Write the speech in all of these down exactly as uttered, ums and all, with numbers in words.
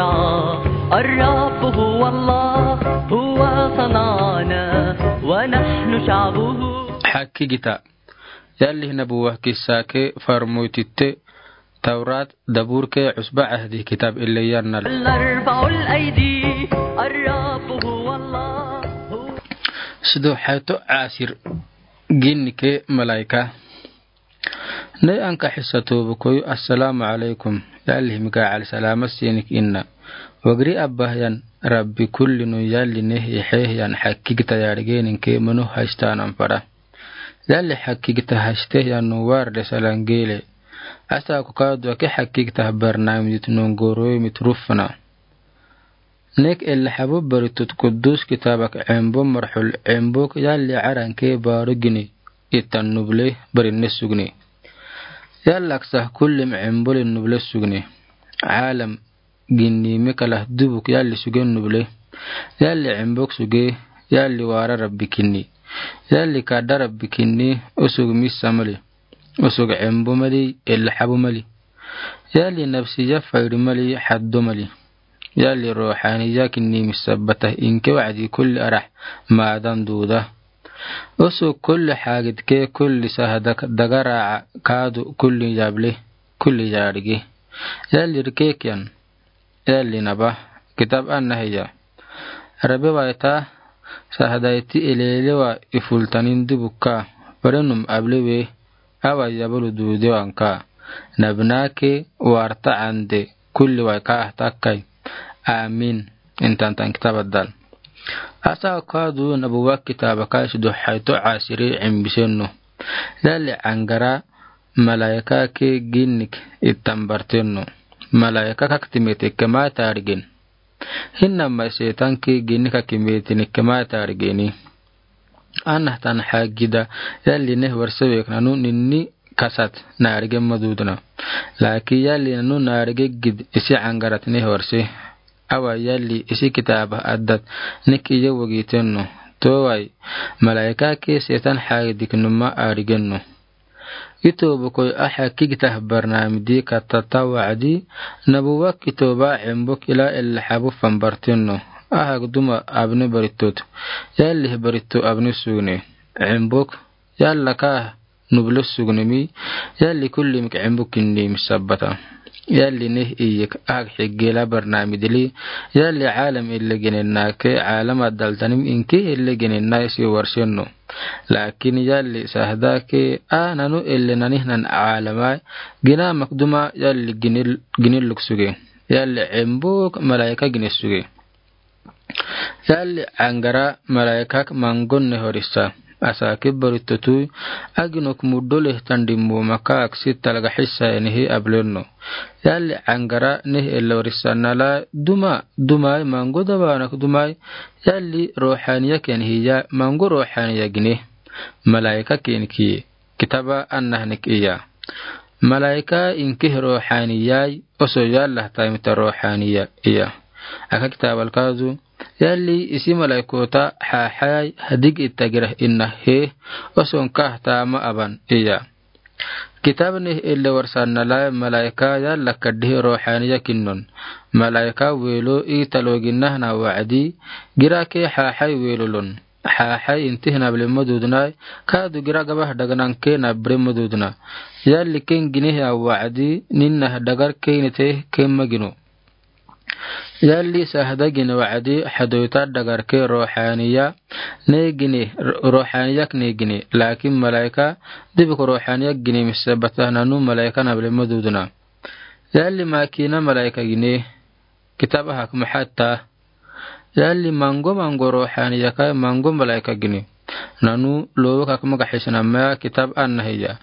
الرب هو الله، هو صنعنا ونحن شعبه. Hakkigita. Yalli Nabuwa Kissa ke Farmoytitte, Tawrat, Dabur ke Cusba Cahdi kitab ille yannal. الأربع الأيدي، الرب هو الله. Sidohayto Asir, gin ke malaika. Ney anka hissa toobo koyu, Assalamu alaykum. Yalli Mikail salama sinik inna. Wagiri abba hiyan Rabbi kulli nu yalli neh ihehiyan hakkigita yarigenin ke manu hashtanan fara. Yalli hakkigita hashtehiyan nu warde salangeele. Asa ku kaadu ake hakkigita barnamijit nu ngoroyi mit rufna. Nek elle habu baritut kudus kitabak cembo marxul cembok yalli caranke baru gini. Itan nuble barinne sugni. Yallak sah kullim cembolin nuble sugni. Calam ginni mekalah dubuk yalli sugen nuble. Yalli cembok suge, yalli wara Rabbi kinni. Yalli kada Rabbi kinni, usug missa mali. Usug cembo mali, elle habu mali. Yalli nafsiya fayri mali, haddo mali. Yalli ruhaniya kinni missa bata inke wacdi kulli arah madan duda. Usug kulli hagid ke kulli sahadak dagara kaadu kulli yable, kulli yarigi. Yalli rikekiyan. Yalli naba, kitab anna hiya. Rabe waita, sahadaiti elelewa ifultanin dubukka, barenum ablewe, awa yabulu dudewanka. Nabinake warta ande, kulli waika ahtakai. Amin. Intantan kitab addal. Asa kadu Nabuwa kitaba kai sidohayto Asiri cembisenno. Yalli angara, malaika ke ginnik ittan bartenno. Malaika kak timetekke ma tarigen. Hinna ma setan ke ginnik kak timetenikke ma tarigeni. Anna tan hagida yalli neh warse wek nanu ninni kasat narigen madudna. Laki yalli nanu narige gid isi angarat neh warse. Awa yalli isi kitaba addat nik iye wagitenno. Towai malaika ke setan hagidik numa arigenno. Ito bokoi a hakkigita barnamidi kattata wacdi, Nabuwa kitoba cembok ila elle habu fan bartenno. Ahak duma abne barittot. Yalli baritto abne sugne. Cembok, yalla ka nuble sugnemi, yalli kullimik cembok kinni missa bata. Yalli neh iyek ahak higgela barnamidili, yalli calam elle genennake, calam addaltanim inke elle genenna isi warsenno. Lakin yalli sahadake a nanu elle nanihnan calamai, ginamak duma yalli ginil, ginilluk suge. Yalli cembok malaika gine suge. Yalli angara malaikak mangon neh warisa. Asake baritto tui, aginok muddo lehtan dimmomaka aksi talga hissa enihi ablenno. Yalli angara neh elle warisa nala duma, dumai mango dabanak dumai, yalli ruhaniya ken hiya mango ruhaniya gine. Malaika ken kiye. Kitaba annahnik iya. Malaika inkih ruhaniyai, oso yallah taimita ruhaniya iya. Aka kitabal kazu, yalli isi malaikota hahayai hadig itta girah inna he, oso nkah tama aban iya. Kitab nih elle warsan nalai malaika yalla kaddihi ruhaniya kinnon. Malaika welo italo ginnahna wacdi, girake hahai welolon. Hahai intih nable madudnai, kadu gira gabah dagananke nabre madudna. Yalli ken ginihi a wacdi, ninnah dagar keinete ken magino. Yalli sahada gine wacdi, hadoyta dagarke ruhaniya, ne gine, ru-, ruhaniyak ne gine, lakin malaika, dibuk ruhaniyak gine missabata nanu malaika nable madudna. Yalli makina malaika gine, kitaba hak mahatta, Yalli mango mango ruhaniyakai mango malaika gine. Nanu lowo kak magaxisnamaya kitab annahiya.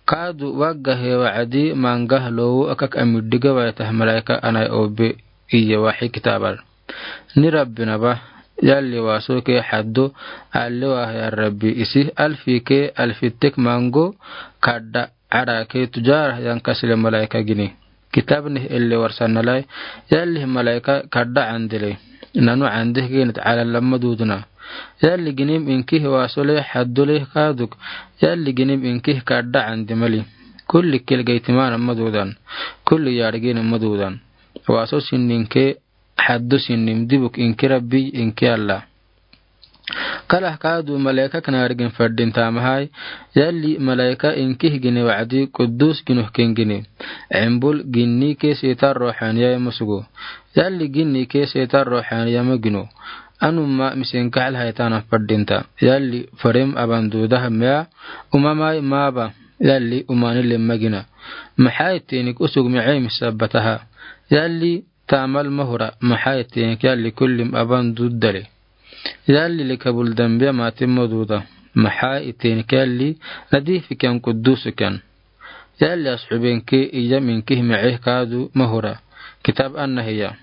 Kadu wagga he wacdi mangah lowo akak amiddiga waitah malaika anai obe iye waxi kitabal. Ni Rabbi naba, yalli waso ke haddo, alle wahya Rabbi isi alfi ke alfittek mango kadda Arake tujarah yan kasile malaika gine. Kitab nih elle warsan nalai, yalli malaika kadda andele. Nanu andeh genit ala lamma dudna. Yalli ginim inkih wasole haddole kaduk. Yalli ginim inkih kadda ande mali. Kulli kilgeitimana madudan. Kulli yargin madudan. Waso sinnin ke haddu sinnin dibuk inki Rabbi inki Allah. Kalah kaadu malaika knaarigin fardin tamahai, yalli malaika inkih gine wa'adi quddus ginuh ken gine. Embul ginni ke setan rohaniya mosugo. Yalli ginni ke setan rohaniya ma gino. Anuma misin kahal haitanan fardinta. Yalli farim aban duudah mea, umamai maba, yalli umani lemma gina. Maxaa iteenik usug micee misabataha. Yalli taamal ma hura, maxaa iteenik yalli kullim aban duudale. Yalli likabul dambiya maatin ma duuda. Maxaa iteenik yalli nadiif ken quddus ken. Yalli asxuben ke iyam inkih micee kaadu ma hura. Kitab anna hiya.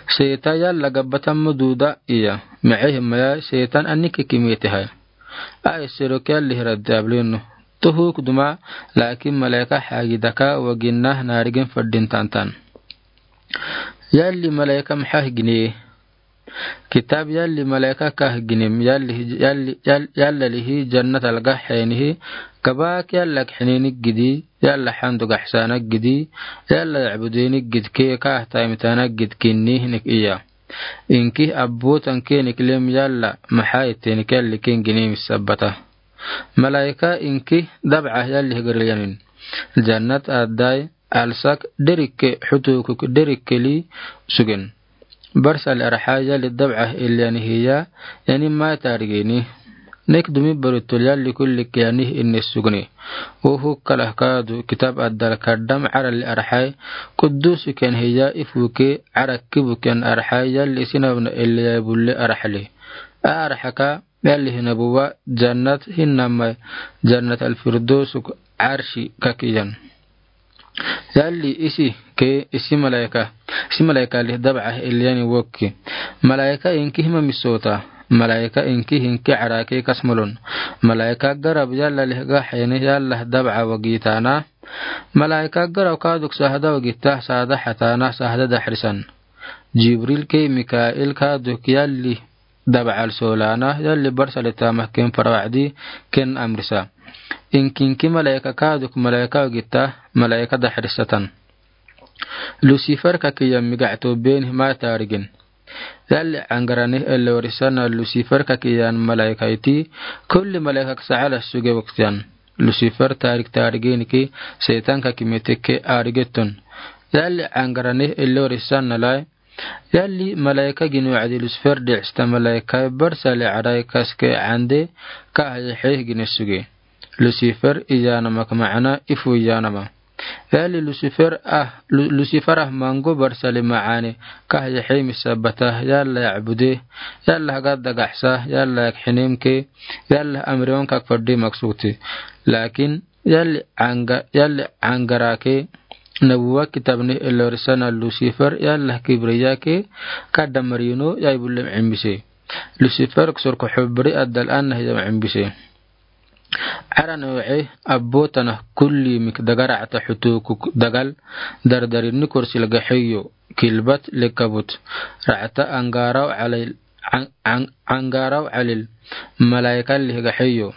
Setan yalla gabbatan ma duuda iya. Micee maya setan anike kimete hai. Ai serok yalli hiradde ablinu. Tuhuk duma, laakin malaika hagidaka wa ginna naarigin fardin tantan. Yalli malaika maxaa gine. Kitab yalli malaika kah ginem yalli, yalli, yal-, yalla lihi jannat alga xeenihi, kabak yalla kxininik gidi, yalla xandu gaxsanak gidi, yalla yacbudenik gid ke kah taimitanak gid kinnihinik iya. Inkih abbutan kenik lem yalla maxaa iteenik yalli ken ginem sabata. Malaika inkih dabca yalli higaril yanin. Jannat addai, alsak, derikke, xutukuk, derikkeli, sugen. Barsali arxa yalli dabca illiyani hiya, yani mai taarigeni. Nek dumi barutul yalli kulli kiyani inne sugni. Uhuk kalah kaadu kitab addal kaddam arali arxai, quddusu ken hiya ifuke, arakkibu ken arxai yalli sinabna illiyai bulle arxali. Arxaka, yalli hinabuwa jannat hinamai jannat alfirdosuk arshi kakiyan. Yalli isi ke isi malaika, isi malaika lih dabca illiyani wokki. Malaika inki hima misota, malaika inki hinki arake kasmalon. Malaika garab yalla lih gaxeni yalla dabca wagitana. Malaika garab kaduk sahada wagita sahada xatana sahada daxrisan. Jibril ke Mikail kaduk yalli dabcal solana, yalli barsali tamah ken fara wacdi, ken amrisa. Inkinki malaika kaduk malaika wagita, malaika daxrisatan. Lusifer kakiyan migacto beni ma taarigin. Yalli angaranih ellorisana Lusifer kakiyan malaika iti, kulli malaika kasa ala suge waktiyan. Lusifer taarik taariginiki, setan kakimete ke arigeton. Yalli angaranih ellorisana lai, yalli malaika gin wacdi Lusifer diista malaika barsali arai kaske ande ka haya xeeh gine suge. Lusifer iyanama ka macana ifu iyanama. Yalli Lusifer ah, Lu-, Lusifer ah mango barsali macaane ka haya xeeh misabata yalla yacbude, yalla hagad dagaxsa, yalla yak xinemke, yalla amriwan kak faddi maksugti. Laakin, Yalli anga, yalli angarake, nabuwa kitabni elorisana Lusifer, yalla kibriyake, kadda marino, yai bullem cimbise. Lusifer ksor kuxubri addal anna hiyam cimbise. Aran oce, abbo tana kulli mik daga racta xutukuk dagal, dardarinni korsil gaxeyo, kilbat lekabut, racta angaraw calil, an-, an-, angaraw calil, malaikalli gaxeyo.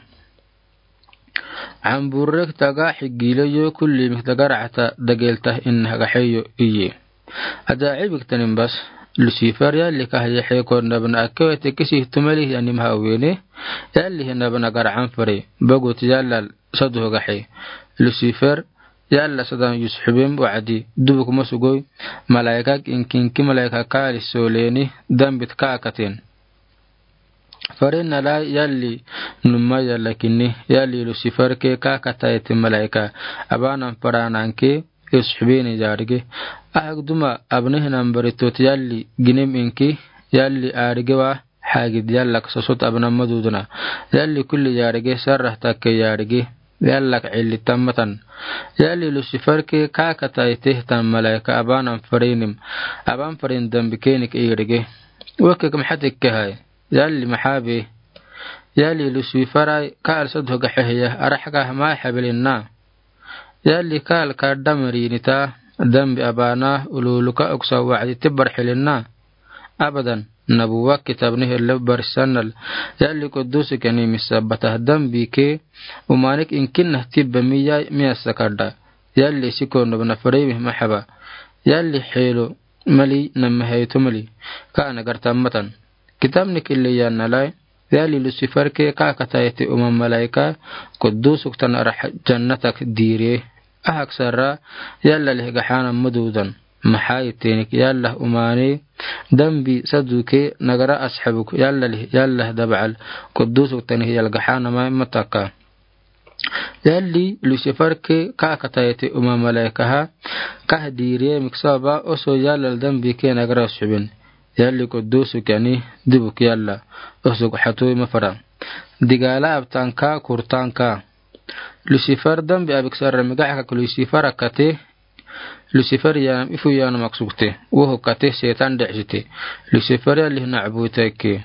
Camburrek taga xigiileyo kulli mik daga racta dageltah inna gaxeyo iye. Ajaacibik tanin bas, Lusifer yalli kahyaxe konnabna akkewete kisih tumelih yanim hawene, yalli hinabna garcan fare, bagot yallal saduh gaxe. Lusifer yalla sadan yusxubem wacdi, dubuk masugoy, malaikak inkinki malaika kaali sooleni, dambit kaakaten. Farenalai yalli numma yalla kinni, yalli Lusifer ke kakatayeti malaika, abanan farananke, yusxubeni yarige. Ahak duma abnehinan baritot yalli ginem inki, yalli arige wa, hagid yallak sosot abnan maduduna. Yalli kulli yarige sarrah takke yarige. Yallak cilli tammatan. Yalli Lusifer ke kakatayetehtan malaika abanan farenim. Aban faren dambi kenik irige. Wekek maxatekke hai. Yalli maxabe. Yalli Lusifer ai kaal saduh gaxeheya araxgah mai xabilinna. Yalli kaal kaddamrinita dambi abana ululuka uksa wacdi tibbar xilinna. Abadan, nabuwa kitabni helle barsannal, yalli qudusi kani misabatah dambi ke, umanik inkinnah tibba miya miyasa kadda, yalli sikon nabna farimi maxaba, Yalli xeelo mali namhayto mali. Ka nagarta matan. Kitabnik illi yaanalai. Yalli Lusifer ke ka kataite uma malaika kudusuk tan ara jannatak diire. Ahak sara yalla lih gaxaana maduudan. Maxaa iteenik yalla umaane dambi saduke nagara asxabuk yalla lih yalla dabcal kudusuk tan hiyal gaxaana mai mataka. Yalli Lusifer ke ka kataite uma malaikaha kah diire mik sababa oso yalla dambi ke nagara asxubin. Yalli kudusuk yani dibuk yalla osuk xatui mafara. Digala abtanka kurtanka. Lusifer dambi abik sara migaxakak Lusifer akate. Lusifer yaanam ifu yaanam aksukte. Woho kate seetan decsite. Lusifer yalli nacbuteke.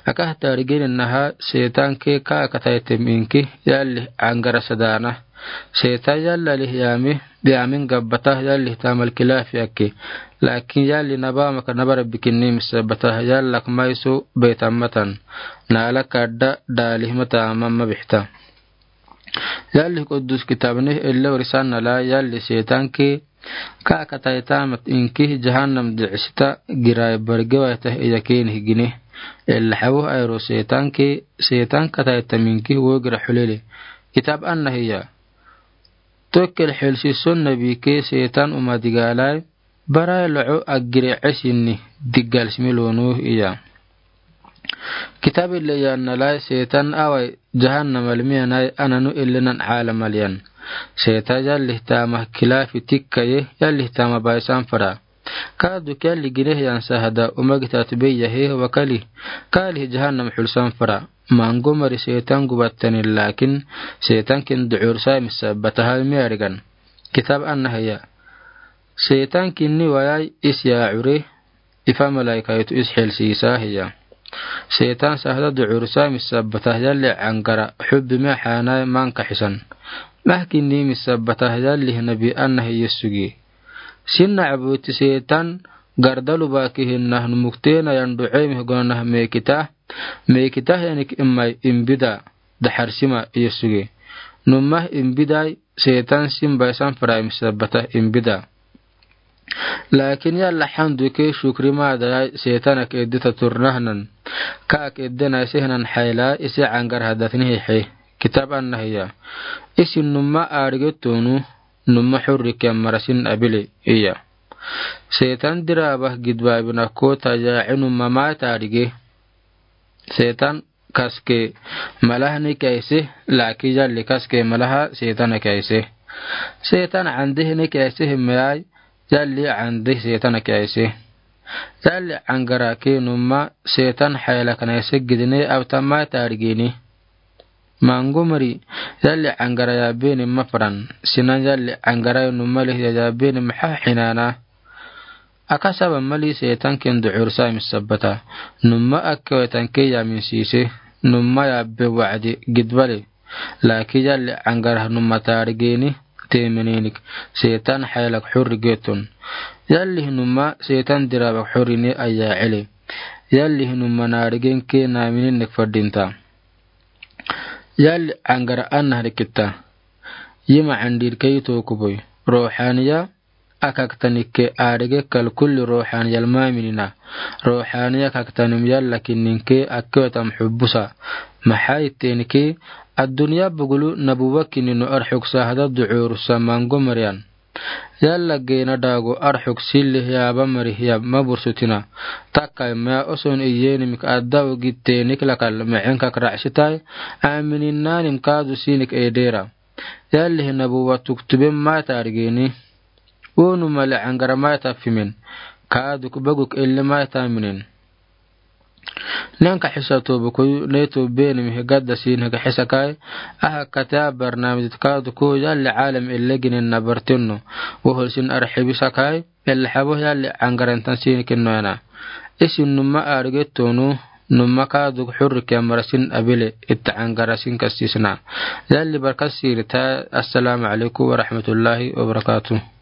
Akah tarigin naha seetan ke ka kataite minki yalli angara sadana. Seetan yalla lih yaami biamin gabbata yalli tamal kilafi ake. Lakin yalli naba maka nabara bikinni misabata yallak maisu beta matan. Nala kadda dalih mata mamma bixta. Yalli kudus kitabnih ille warisan nala yalli seetan ke ka kataita mat inki jahannam dicsita girai bargewaita iya keni higini. Ille xawo ayro seetan ke seetan kataita minki wo gira xulele. Kitab anna hiya. Tokkel xelsi son nabi ke seetan uma digalai. Barai loco agire cesinni digal simi lonu iya. Kitab ille yaanalai seetan awai jahannam almiyanai ananu illenan caalam aliyan. Seetan yallih tama kilafi tikkaye yallih tama baisan fara. Ka duk yalli gineh yan sahada uma gitat beyahe wakali. Ka lih jahannam xulsan fara. Mango mari seetan gubattanin lakin seetan kin ducur sai misabata hal miyarigan. Kitab anna hiya. Seetan kinni wayai is yaacure ifa malaikaitu is xelsiisa hiya. Seetan sahda ducursa misabata yalli cangara xubbi mexaanai manka xisan. Mah kinni misabata yalli nabi anna hiya sugi. Sinna cabuti seetan gardalu baki hinna numukteena yan ducemih gonanah mekita. Mekita yanik imai imbida daxarsima iya sugi. Numah imbidai seetan sin baisan fara misabata imbida. Lakin yalla xandu ke shukri madayai seetanak edita turnahnan. Kaak edenai sehnan xayla isi cangar hadatni hixe. Kitab anna hiya. Isi numma arige tonu numma xurri ke marasin abile iya. Seetan dirabah gidbabina kota yaaci numma mai tarige. Seetan kaske malahni kaise laki yalli kaske malaha seetan kaise. Seetan candihni kaise himeyai yalli candih seetan kaise. Yalli cangara ke numma seetan xayla kanaise gidine abtamai tarigini. Mango mari yalli cangara yabeni mafaran sinan yalli cangara numma lih yabeni maxa xinana. Aka saba mali seetan ken ducur sai misabata. Numma akkewetan ke yamin siise. Numma yabbe wacdi gidbale. Laki yalli cangarah numma tarigeni temeninik seetan xaylak xurri getun. Yalli numma seetan dirabak xurri ne aya cele. Yalli numma narigen ke namininik fadinta. Yalli cangara anna harikitta. Yima candir ke yito kuboi. Ruxaniya akaktanik ke arige kal kulli ruxaniyal maminina. Ruxaniya akaktanim yalla kinnin ke akkewetam xubusa. Maxaa ittenik ke addunya bugulu nabuwa kinninu arxuk sahada ducur sa mango mariyan. Yalla gena dago arxuk silli yaba mari yab mabursutina. Takkai maya oson iyenimik adda ugittenik lakal mecenkak racsitai amininanim kadu sinik edera. Yalli nabuwa tuktubin mai tarigeni. Unu mali cangara mai tafimin. Kaduk baguk illi mai taminin. Nenka xisa tobukuyu neto benimih gadda sinhig xisakai. Aha kata barnamijit kaduku yalli calam illi ginin nabartinno. Wohol sin arxibisakai. Illi xabo yalli cangarantan sinikin noyana. Isin numma arige tonu numma kaduk xurri ke marasin abile itta cangara sin kasisna. Yalli barka sirita. Assalamu alaikum warahmatullahi wabarakatuh.